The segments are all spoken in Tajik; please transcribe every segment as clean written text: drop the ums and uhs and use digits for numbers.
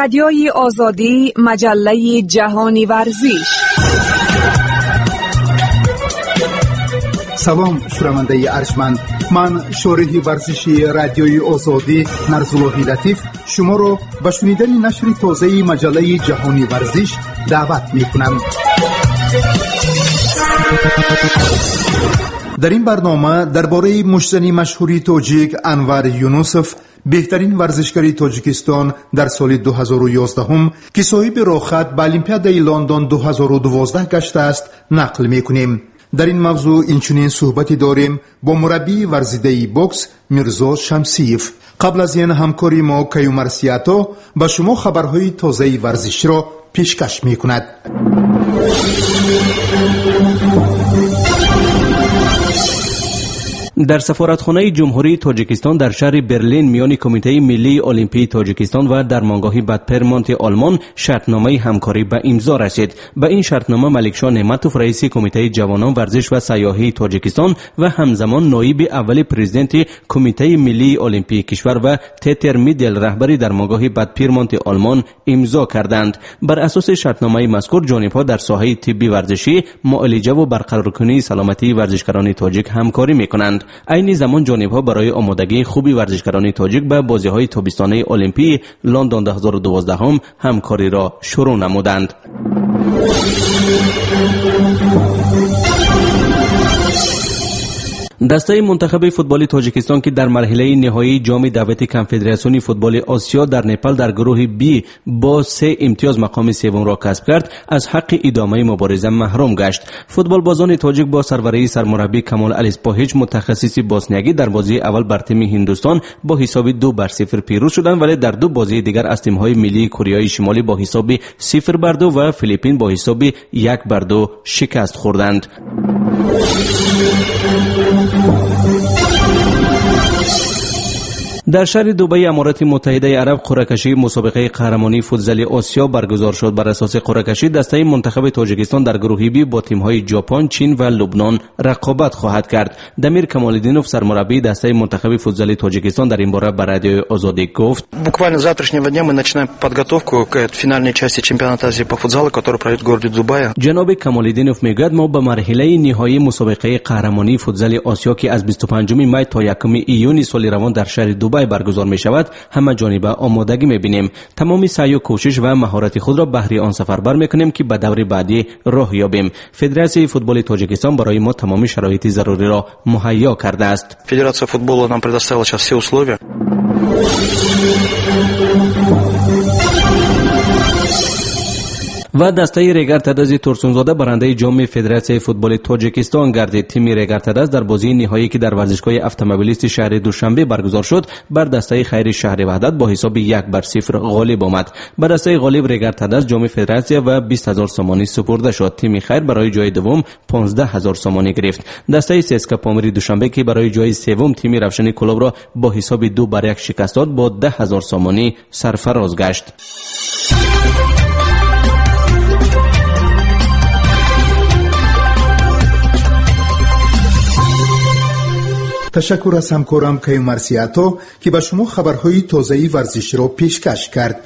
Радиои Озодӣ, маҷаллаи ҷаҳони варзиш. Салом, шунавандаи арҷманд. Ман, шориҳи варзиши Радиои Озодӣ Нарзуллоҳи Латиф, шуморо ба шунидани нашри тозаи маҷаллаи ҷаҳони варзиш даъват мекунам. Дар ин барнома дар бораи муштзани машҳури тоҷик Анвар Юнусов, беҳтарин варзишгари Тоҷикистон дар соли 2011, ки соҳиби роҳхат ба Олимпиадаи Лондон 2012 гаштааст, нақл мекунем. Дар ин мавзӯъ инчунин суҳбате дорем бо мураббии варзидаи бокс Мирзо Шамсиев. Қабл аз ин ҳамкори мо Каюмар Сиято ба шумо хабарҳои тозаи варзиширо пешкаш мекунад. Дар сафоратхонаи Ҷумҳурии Тоҷикистон дар шаҳри Берлин миёни Кумитаи миллии олимпии Тоҷикистон ва дармонгоҳи Бадпирмонти Олмон шартномаи ҳамкорӣ ба имзо расид. Ба ин шартнома Маликшоҳ Неъматов, раиси Кумитаи ҷавонон, варзиш ва сайёҳии Тоҷикистон ва ҳамзамон ноиби аввали президенти Кумитаи миллии олимпии кишвар ва Тетер Мидел, раҳбари дармонгоҳи Бадпирмонти Олмон, имзо карданд. Бар асоси шартномаи мазкур ҷонибҳо дар соҳаи тибби варзишӣ, муолиҷа ва барқароркунии саломатии варзишгарони тоҷик ҳамкорӣ мекунанд. Айни замон ҷонибҳо барои омодагии хуби варзишгарони тоҷик ба бозиҳои тобистонаи олимпии Лондон 2012 ҳамкориро шурӯъ намуданд. Дастаи мунтахаби футболи Тоҷикистон, ки дар марҳилаи ниҳоии ҷоми даъвати Конфедератсиони футболи Осиё дар Непал дар гурӯҳи Б бо 3 имтиёз мақоми севумро касб кард, аз ҳаққи идомаи мубориза маҳрум гашт. Футболбозони тоҷик бо сарварии сармураббӣ Камол Алиспоҳич, мутахассиси босниягӣ, дар бозии аввал бар тими Ҳиндустон бо ҳисоби 2-0 пирӯз шуданд, вале дар ду бозии дигар аз тимҳои миллии Кореяи Шимолӣ бо ҳисоби 0-2 ва Филиппин бо ҳисоби 1-2 шикаст хӯрданд. Дар шаҳри Дубайи Аморати Муттаҳидаи Араб қуръакашии мусобиқаи қаҳрамонии футзали Осиё баргузор шуд. Бар асоси қуръакашӣ дастаи мунтахаби Тоҷикистон дар гурӯҳи Б бо тимҳои Ҷопон, Чин ва Лубнон рақобат хоҳад кард. Дамир Камолиддинов, сармураббии дастаи мунтахаби футзали Тоҷикистон, дар ин бора ба Радиои Озодӣ гуфт: Буквально с завтрашнего дня мы начинаем подготовку к финальной части чемпионата Азии по футзалу, который пройдет в городе Дубае. Ҷаноби Камолиддинов мегӯяд, мо ба марҳилаи ниҳоии мусобиқаи қаҳрамонии футзали Осиё, ки аз 25 май то 1 июни соли равон дар шаҳри Дубай баргузор мешавад, ҳама ҷониба омодагӣ мебинем. Тамоми саъю кӯшиш ва маҳорати худро баҳри он сафарбар мекунем, ки ба даври баъдӣ роҳ ёбем. Федератсияи футболи Тоҷикистон барои мо тамоми шароити заруриро муҳайё кардааст. Федерация футбола нам предоставила сейчас все условия. Ва дастаи Регар-ТадАЗи Турсунзода барандаи ҷоми Федератсияи футболи Тоҷикистон гардид. Тими Регар-ТадАЗ дар бозии ниҳоӣ, ки дар варзишгоҳи автомобилисти шаҳри Душанбе баргузор шуд, бар дастаи Хайри шаҳри Ваҳдат бо ҳисоби 1-0 ғолиб омад. Ба дастаи ғолиб Регар-ТадАЗ ҷоми федератсия ва 20 0 сомонӣ супурда шуд. Тими Хайр барои ҷои дуввум 15 0 сомонӣ гирифт. Дастаи ССК Помири Душанбе, ки барои ҷои севум тими Равшани Кӯлобро бо ҳисоби 2-1 шикаст дод, бо 10 0 сомонӣ сарфароз гашт. Ташаккур аз ҳамкорам Каюмар Сиято, ки ба шумо хабарҳои тозаи варзиширо пешкаш кард.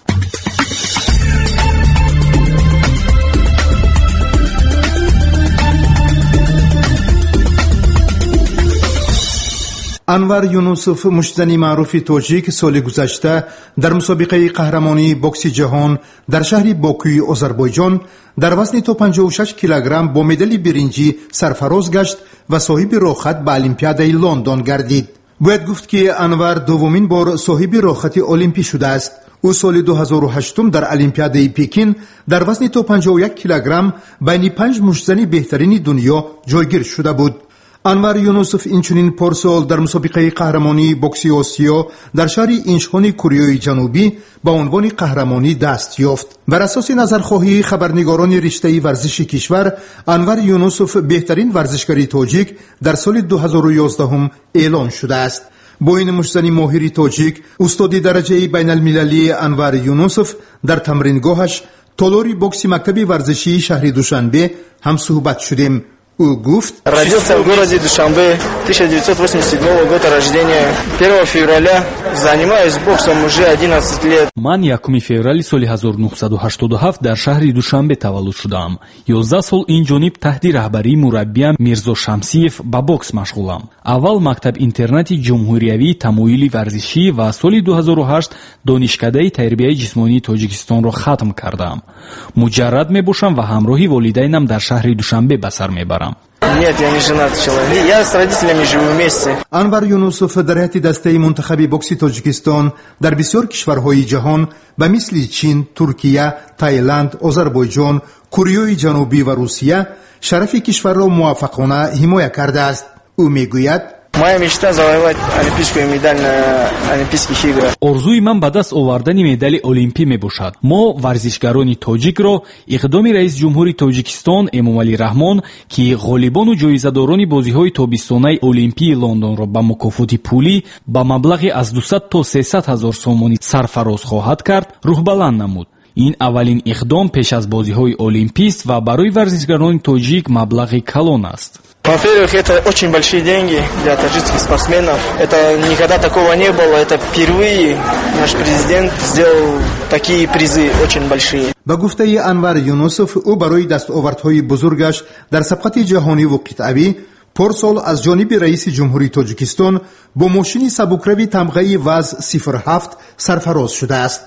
Анвар Юнусов, муштзани маъруфи тоҷик, соли гузашта дар мусобиқаи қаҳрамонии бокси ҷаҳон дар шаҳри Бокуи Озарбойҷон дар вазни то 56 килограмм бо медали биринҷӣ сарфароз гашт ва соҳиби роҳхат ба Олимпиадаи Лондон гардид. Бояд гуфт, ки Анвар дуввумин бор соҳиби роҳхати олимпӣ шудааст. Ӯ соли 2008 дар Олимпиадаи Пекин дар вазни то 51 килограмм байни 5 муштзани беҳтарини дунё ҷойгир шуда буд. Анвар Юнусов инчунин порсол дар мусобиқаи қаҳрамонии бокси Осиё дар шаҳри Инчхони Кореяи Ҷанубӣ ба унвони қаҳрамонӣ даст ёфт. Бар асоси назархоҳии хабарнигорони риштаи варзиши кишвар, Анвар Юнусов беҳтарин варзишгари тоҷик дар соли 2011 эълон шудааст. Бо ин муштзани моҳири тоҷик, устоди дараҷаи байналмилалии Анвар Юнусов дар тамрингоҳаш, толори бокси мактаби варзишии шаҳри Душанбе ҳамсӯҳбат шудем. Ӯ гуфт: Родился в городе Душанбе, 1987 года рождения, 1 февраля. Занимаюсь боксом уже 11 лет. Ман 1 феврали соли 1987 дар шаҳри Душанбе таваллуд шудаам. 11 сол ин ҷониб таҳти раҳбарии мураббиям Мирзо Шамсиев ба бокс машғулам. Аввал мактаб-интернати ҷумҳуриявии тамоюли варзишӣ ва соли 2008 донишкадаи тарбияи ҷисмонии Тоҷикистонро хатм кардаам. Муҷаррад мебошам ва ҳамроҳи волидайнам дар шаҳри Душанбе ба сар мебарам. Нет, я не женат человек. Я с родителями живу вместе. Анвар Юнусов дар ҳайати дастаи мунтахаби бокси Тоҷикистон дар бисёр кишварҳои ҷаҳон ба мисли Чин, Туркия, Таиланд, Озарбойҷон, Кореяи Ҷанубӣ ва Русия шарафи кишварро муваффақона ҳимоя кардааст. Ӯ мегӯяд: Моя мечта завоевать олимпийскую медаль на Олимпийских играх. Орзуи ман ба даст овардани медали олимпӣ мебошад. Мо варзишгарони тоҷикро иқдоми раиси ҷумҳури Тоҷикистон Эмомалӣ Раҳмон, ки ғолибону ҷоизадорони бозиҳои тобистонаи олимпии Лондонро ба мукофоти пулӣ ба маблағи аз 200 то 300 ҳазор сомонӣ сарфароз хоҳад кард, рӯҳбаланд намуд. Ин аввалин иқдом пеш аз бозиҳои олимпист ва барои варзишгарони тоҷик маблағи калон аст. Во-первых, это очень большие деньги для таджикских спортсменов. Это никогда такого не было. Это впервые наш президент сделал такие призы очень большие. Ба гуфтаи Анвар Юнусов, ӯ барои дастовардҳои бузургаш дар сабқати ҷаҳониву қитъавӣ порсол аз ҷониби раиси ҷумҳурии Тоҷикистон бо мошини сабукрави тамғаи ВАЗ 07 сарфароз шудааст.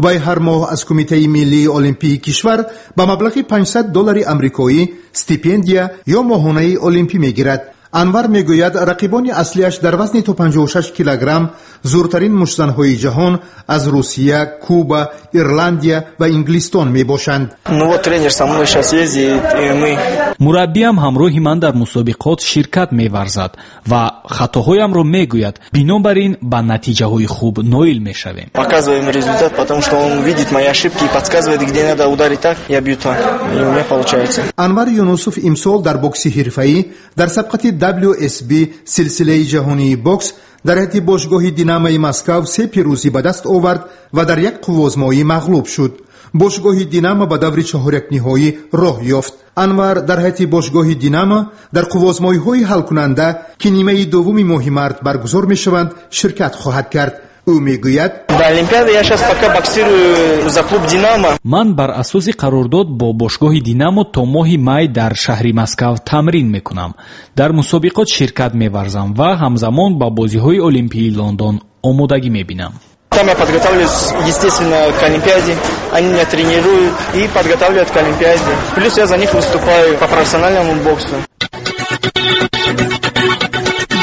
Вай ҳар моҳ аз Кумитаи миллии олимпии кишвар ба маблағи 500 доллари амрикоӣ стипендия ё моҳонаи олимпӣ мегирад. Анвар мегӯяд, рақибони аслиаш дар вазни то 56 килограмм зуртарин муштзанҳои ҷаҳон аз Русия, Куба, Ирландия ва Инглистон мебошанд. Ну вот тренер со мной сейчас ездит, и мы. Мураббиам ҳамроҳи ман дар мусобиқот ширкат меварзад ва хатоҳоямро мегӯяд. Бинобар ин ба натиҷаҳои хуб ноил мешавем. Показываем результат, потому что он видит мои ошибки и подсказывает, где надо ударить так, я бью так, и у меня получается. Анвар Юнусов имсол дар бокси ҳирфаӣ дар сабқати WSB силсилаи ҷаҳонии бокс дар ҳайати бошгоҳи Динамои Москав се пирӯзӣ ба даст овард ва дар як қуввозмоӣ мағлуб шуд. Бошгоҳи Динамо ба даври чаҳорякниҳоӣ роҳ ёфт. Анвар дар ҳайати бошгоҳи Динамо дар қуввозмоиҳои ҳалкунанда, ки нимаи дуввуми моҳи март баргузор мешаванд, ширкат хоҳад кард. Ӯ мегӯяд: До Олимпиады я сейчас пока боксирую за клуб «Динамо». Ман бар асоси қарордод бо бошгоҳи Динамо то моҳи май дар шаҳри Москав тамрин мекунам. Дар мусобиқот ширкат меварзам ва ҳамзамон ба бозиҳои олимпии Лондон омодагӣ мебинам. Там я подготавливаюсь, естественно, к Олимпиаде. Они меня тренируют и подготавливают к Олимпиаде. Плюс я за них выступаю по профессиональному боксу.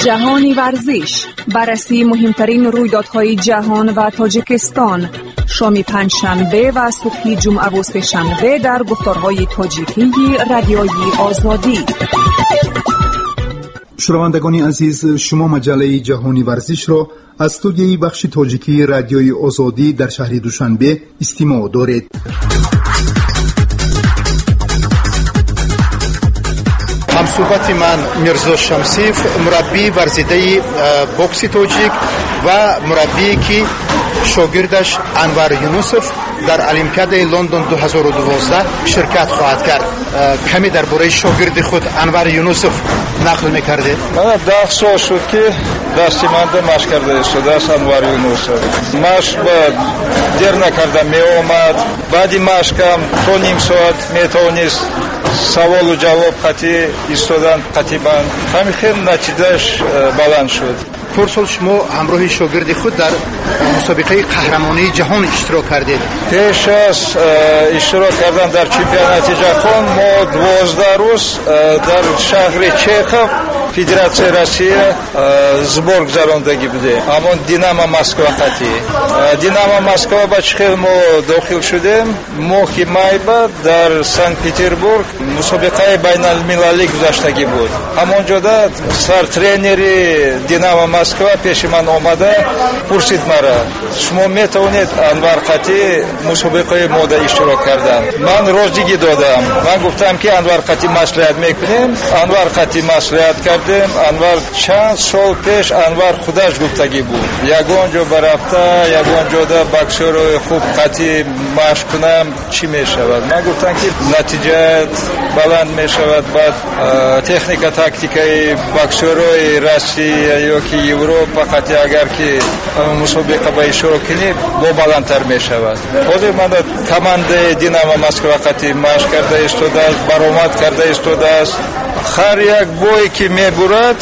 Ҷаҳони варзиш, баррасии муҳимтарин рӯйдодҳои ҷаҳон ва Тоҷикистон, шоми панҷшанбе ва субҳи ҷумъаву сешанбе дар гуфторҳои тоҷикии Радиои Озодӣ. Шунавандагони азиз, шумо маҷаллаи Ҷаҳони варзишро аз студияи бахши тоҷикии Радиои Озодӣ дар шаҳри Душанбе истимоъ доред. Ҳамсӯҳбати ман Мирзо Шамсиев, мураббии варзидаи бокси тоҷик ва мураббие, ки шогирдаш Анвар Юнусов дар Олимпиадаи Лондон 2012 ширкат хоҳад кард. Каме дар бораи шогирди худ Анвар Юнусов нақл мекардед. Мана 10 сол шуд, ки дасти манда машқ карда истодааст Анвар Юнусов. Машқ ба дер накарда меомад, баъди машқам то ним соат метавонист саволу ҷавоб қатӣ истодан қатибан. Ҳамин хел натиҷааш баланд шуд. Порсол шумо ҳамроҳи шогирди худ дар мусобиқаи қаҳрамонии ҷаҳон иштирок кардед. Пеш аз иштирок кардан дар чемпионати ҷаҳон мо 12 рӯз дар шаҳри Чехов, Федератсияи Россия, сбор гузарондагӣ будем. Ҳамон Динамо Москва қатӣ. Динамо Москва ба чӣ хел мо дохил шудем? Моҳи майба дар Санкт Петербург мусобиқаи байналмилалӣ гузаштагӣ буд. Ҳамон ҷода сартренери Динамо Москва пеши ман омада пурсид мара: «Шумо метавонед Анвар қатӣ мусобиқаи мода иштирок кардан?» Ман розигӣ додам. Ман гуфтам, ки Анвар қатӣ маслиҳат мекунем. Анвар қатӣ маслиҳат кардем. кардем. Анвар чанд сол пеш Анвар худаш гуфтагӣ буд, ягон ҷо барафта, ягон ҷода боксёрои хуб қатъи машқ кунам, чӣ мешавад? Ман гуфтам, ки натиҷаат баланд мешавад. Баъд техника, тактикаи боксёрои Россия ё ки Европа қатъи агар ки мусобиқа ба иштирок кунӣ, бо баландтар мешавад. Ҳозир мана командаи Динамо Москва қатъи машқ карда истодааст, баромад карда истодааст. Ҳар як бое ки мебурад,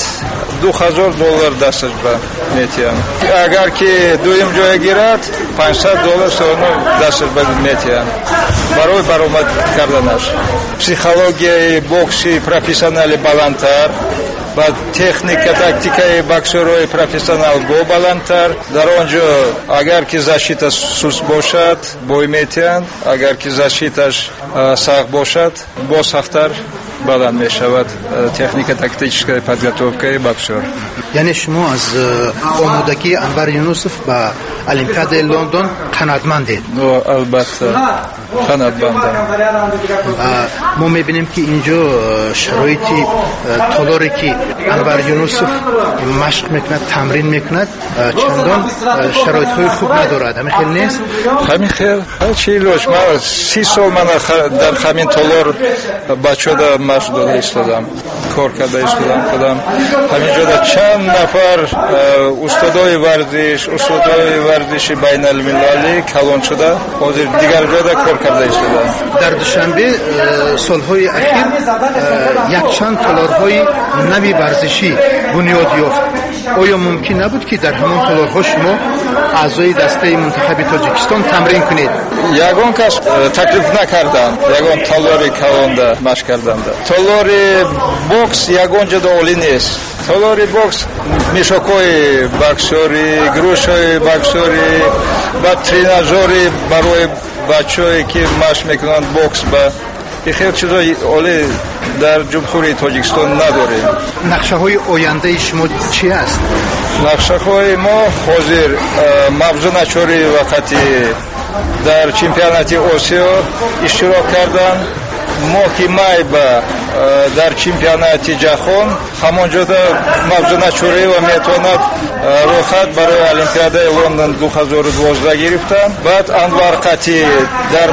$2000 дасташ ба метиҳам. Агар ки дуюм ҷоя гирад, $500 соно дасташ ба метиҳам барои баромад карданаш. Психологияи бокси профессионали баландтар, ба техника, тактикаи боксёрои профессионал бо баландтар. Дар он ҷо агар ки защита суст бошад, бой метиҳанд, агар ки защиташ сахт бошад, боз сахттар баланд мешавад техника, тактическая подготовкаи боксёр. Яъне шумо аз омодагии Анвар Юнусов ба Олимпиадаи Лондон қаноатмандед? Албатта, қаноатмандам. Мо мебинем, ки ин ҷо шароити толоре, ки Анвар Юнусов машқ мекунад, тамрин мекунад, чандон шароитҳои хуб надорад. Ҳамин хел нест? Ҳамин хел. Чӣ илоҷ? Ман 30 сол мана дар ҳамин толор бачода машқ дода истодам, кор карда истодам худам. Ҳамин ҷода чанд нафар устодои варзиш, устодои варзиши байналмилалӣ калон шуда, ҳозир дигар ҷода кор карда истодам. Дар Душанбе солҳои ахир якчанд толорҳои нави варзишӣ бунёд ёфт. Оё мумкин набуд, ки дар ҳамон толорҳо шумо, аъзои дастаи мунтахаби Тоҷикистон, тамрин кунед? Ягон кас таклиф накарданд ягон толори калонда машқ карданда. Толори бокс ягон ҷода олӣ нест. Толори бокс мешокҳои боксёрӣ, грушҳои боксёрӣ ва тренажёри барои бачаҳое, ки машқ мекунанд бокс, ба хел чизои олӣ дар Ҷумҳурии Тоҷикистон надорем. Нақшаҳои ояндаи шумо чӣ аст? Нақшаҳои мо ҳозир Мавзуна Чориева қати дар чемпионати Осиё иштирок кардан, моҳи май ба дар чемпионати ҷаҳон. Ҳамон ҷода Мавзуна Чориева метавонад роҳхат барои Олимпиадаи Лондон 2012 гирифтан. Баъд Анвар қати дар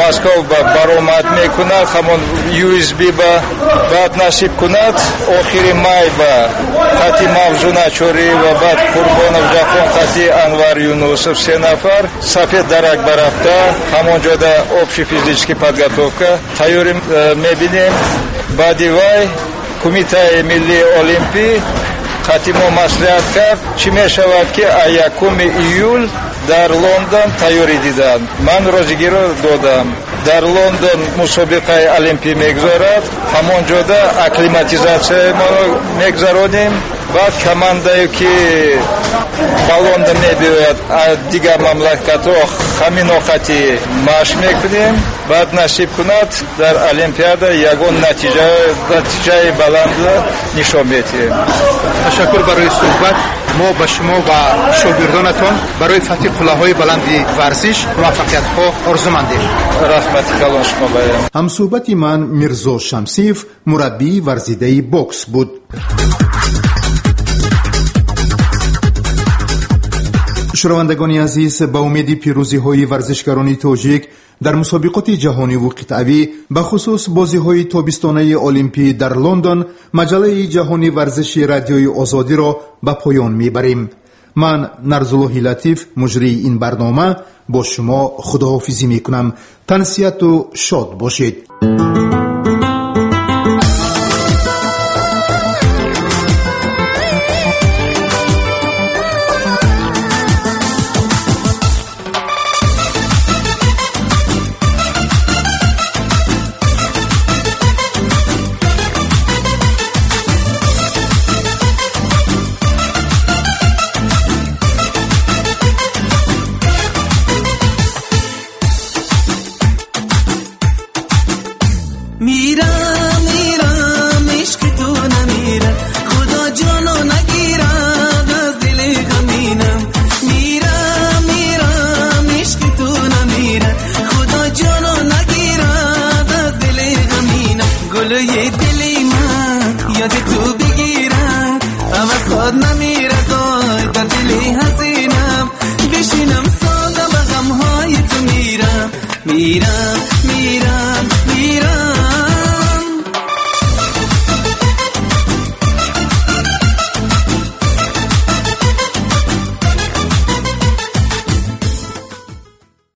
Москав ба баромад мекунад, ҳамон USB ба. Баъд насиб кунад, охири май ба қати Мавзуна Чориева, баъд Қурбонов Ҷаҳон қати Анвар Юнусов, се нафар Сафед Дарак барафта, ҳамон ҷода общий физический подготовка тайёрӣ мебинем. Баъди вай Кумитаи миллии олимпӣ қати мо маслиҳат кард, чӣ мешавад, ки 1 июл дар Лондон тайёрӣ диданд. Ман розигиро додам. Дар Лондон мусобиқаи олимпӣ мегузорад, ҳамон ҷода акклиматизатсияи мо мегузаронем. Баъд командае, ки ба Лондон мебиёяд аз дигар мамлакатҳо, ҳамин оқати машқ мекунем. Баъд насиб кунад, дар Олимпиада ягон натиҷаи баланд нишон медиҳем. Ташаккур барои суҳбат. Мо ба шумо ва шогирдонатон барои фатҳи қуллаҳои баланди варзиш муваффақиятҳо орзумандем. Раҳмати калон шумо баям. Ҳамсӯҳбати ман Мирзо Шамсиев, мураббии варзидаи бокс буд. Шунавандагони азиз, ба умеди пирӯзиҳои варзишгарони тоҷик дар мусобиқоти ҷаҳониву қитъавӣ, бахусус бозиҳои тобистонаи олимпӣ дар Лондон, маҷаллаи ҷаҳони варзиши Радиои Озодиро ба поён мебарем. Ман, Нарзуллоҳи Латиф, муҷрии ин барнома, бо шумо худоҳофизӣ мекунам. Тансиҳату шод бошед. میرم میرم، عشق تو نمیرم، خدا جانو نگیرد از دل غمینم. میرم میرم، عشق تو نمیرم، خدا جانو نگیرد از دل غمینم. گلوی دل من Ёди ту бигирад, аз худ намирад, ой дар дили ҳазинам. Бишинам сода ба ғамҳои ту мирам, мирам.